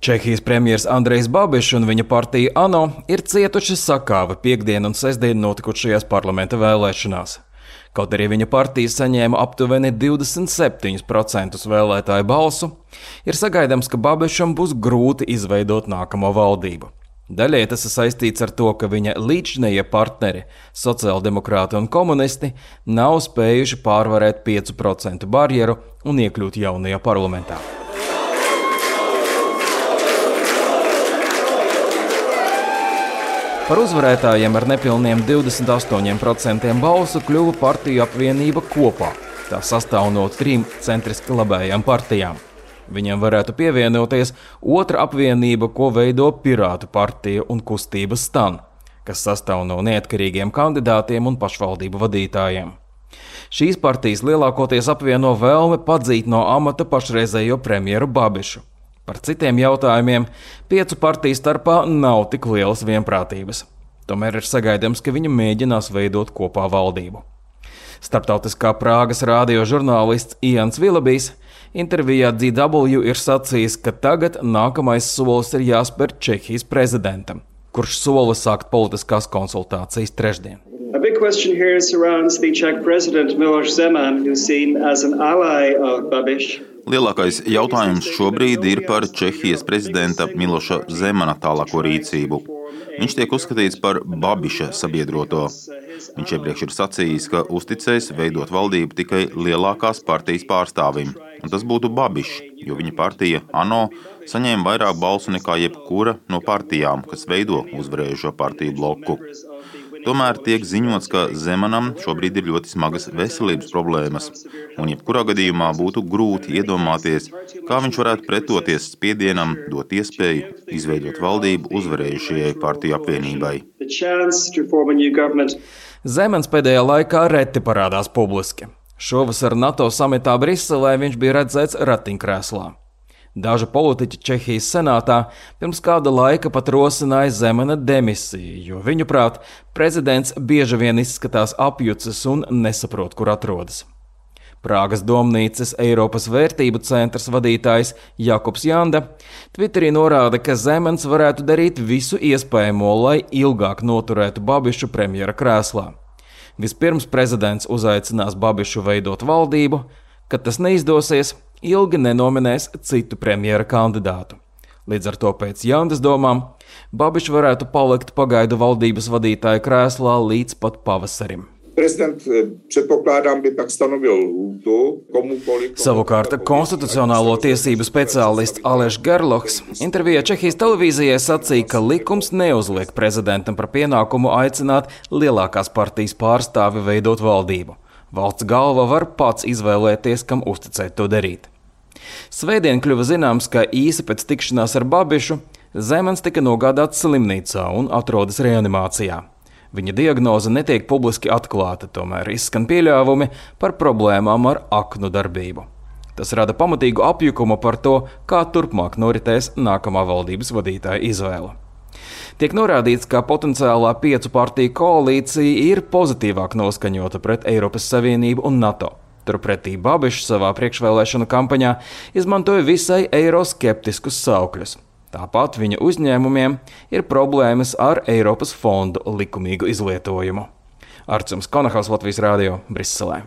Čehijas premjers Andrejs Babišs un viņa partija ANO ir cietuši sakāvi piektdienu un sestdienu notikušajās parlamenta vēlēšanās. Kaut arī viņa partija saņēma aptuveni 27% vēlētāju balsu, ir sagaidāms, ka Babišam būs grūti izveidot nākamo valdību. Daļai tas ir saistīts ar to, ka viņa līdzinējie partneri, sociāldemokrāti un komunisti, nav spējuši pārvarēt 5% barjeru un iekļūt jaunajā parlamentā. Par uzvarētājiem ar nepilniem 28% balsu kļuva partiju apvienība Kopā. Tā sastāv no 3 centriski labējām partijām. Viņam varētu pievienoties otra apvienība, ko veido Pirātu partija un kustība Stan, kas sastāv no neatkarīgiem kandidātiem un pašvaldību vadītājiem. Šīs partijas lielākoties apvieno vēlme padzīt no amata pašreizējo premjeru Babišu. Par citiem jautājumiem 5 partiju starpā nav tik lielas vienprātības. Tomēr ir sagaidāms, ka viņi mēģinās veidot kopā valdību. Starptautiskā Prāgas rādio žurnālists Ians Vilabijs intervijā DW ir sacījis, ka tagad nākamais solis ir jāspēr Čehijas prezidentam, kurš sola sākt politiskās konsultācijas trešdien. A big question here surrounds the Czech president Miloš Zeman, who's seen as an ally of Babiš. Lielākais jautājums šobrīd ir par Čehijas prezidenta Miloša Zemana tālāko rīcību. Viņš tiek uzskatīts par Babiša sabiedroto. Viņš iepriekš ir sacījis, ka uzticēs veidot valdību tikai lielākās partijas pārstāvim, un tas būtu Babišs, jo viņa partija ANO saņēma vairāk balsu nekā jebkura no partijām, kas veido uzvarējušo partiju bloku. Tomēr tiek ziņots, ka Zemanam šobrīd ir ļoti smagas veselības problēmas, un jebkurā gadījumā būtu grūti iedomāties, kā viņš varētu pretoties spiedienam dot iespēju izveidot valdību uzvarējušajai partiju apvienībai. Zemans pēdējā laikā reti parādās publiski. Šovasar NATO samitā Briselē viņš bija redzēts ratiņkrēslā. Daži politiķi Čehijas senātā pirms kāda laika pat rosināja Zemana demisiju, jo viņuprāt, prezidents bieži vien izskatās apjucis un nesaprot, kur atrodas. Prāgas domnīcas Eiropas vērtību centrs vadītājs Jakubs Janda Twitterī norāda, ka Zemans varētu darīt visu iespējamo, lai ilgāk noturētu Babišu premjera krēslā. Vispirms prezidents uzaicinās Babišu veidot valdību, kad tas neizdosies, ilgi nenominēs citu premjera kandidātu. Līdz ar to pēc Jandas domām Babišs varētu palikt pagaidu valdības vadītāja krēslā līdz pat pavasarim. Savukārt konstitucionālo tiesību speciālists Aleš Gerlohs intervijā Čehijas televīzijai sacīja, ka likums neuzliek prezidentam par pienākumu aicināt lielākās partijas pārstāvi veidot valdību. Valsts galva var pats izvēlēties, kam uzticēt to darīt. Svētdien kļuva zināms, ka īsi pēc tikšanās ar Babišu Zemans tika nogādāts slimnīcā un atrodas reanimācijā. Viņa diagnoze netiek publiski atklāta, tomēr izskan pieļāvumi par problēmām ar aknu darbību. Tas rada pamatīgu apjukumu par to, kā turpmāk noritēs nākamā valdības vadītāja izvēle. Tiek norādīts, ka potenciālā 5 partiju koalīcija ir pozitīvāk noskaņota pret Eiropas Savienību un NATO. Turpretī Babišs savā priekšvēlēšanu kampaņā izmantoja visai eiroskeptiskus saukļus. Tāpat viņa uzņēmumiem ir problēmas ar Eiropas fondu likumīgu izlietojumu. Artjums Konahaus, Latvijas Rādio, Briselē.